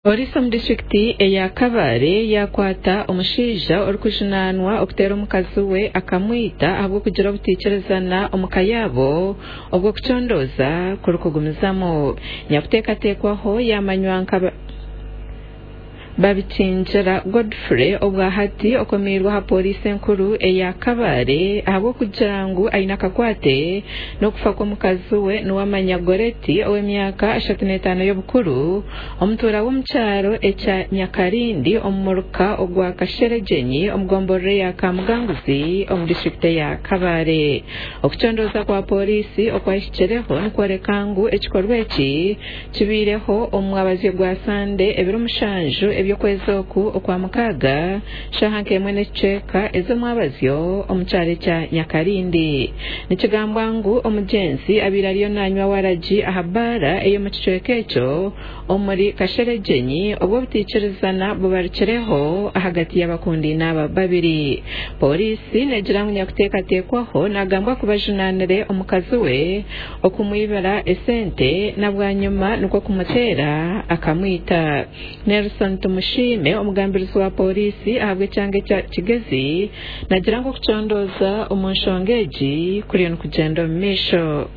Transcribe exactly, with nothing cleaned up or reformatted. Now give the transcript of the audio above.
Poliisi omu disitulikiti eya Kabale yakwata omushaija orikujunaanwa okuteera omukazi we akamwita ahabw'okugira obutaikirizana omu ka yaabo obwo okucondooza kurikugumizamu. Nyakuteekateekwaho yamanywa nka Babikingira Godfrey obwahati okomeirwe aha poliisi enkuru eya Kabale ahabw'okugira ngu aine akakwate n'okufa kw'omukazi we Nuwamanya Goreti ow'emyaka ashatu n'etaano y'obukuru, omutuura w'omu kyaro ekya Nyakarindi omu muruka ogwa Kasheregyenyi omu gomborora eya Kamuganguzi omu disitulikiti eya Kabale. Okucondooza kwa poliisi okwahikireho nikworeka ngu ekikorwa eki kibaireho omu mwabazyo gwa Sande ebiro mushanju eby'okwezi oku okwa mukaaga shaaha nk'emwe n'ekicweka ez'omwabazyo omu kyaro ekya Nyakarindi. Nikigambwa ngu omugyenzi abaire ariyo nanywa waragi aha baara ey'omu kicweka ekyo omuri Kasheregyenyi obwo obutaikirizana bubarukireho ahagati y'abakundaine aba babiri. Poliisi neegira ngu nyakuteekateekwaho nagambwa kuba ajunaanire omukazi we okumwibira esente na bwanyima nikwo kumuteera akamwita. Nelson Tumushime omugambirizi wa poliisi ahabw'ekyanga ekya Kigezi nagira ngu okucondooza omu nshonga egi kuriyo nikugyenda omu maisho.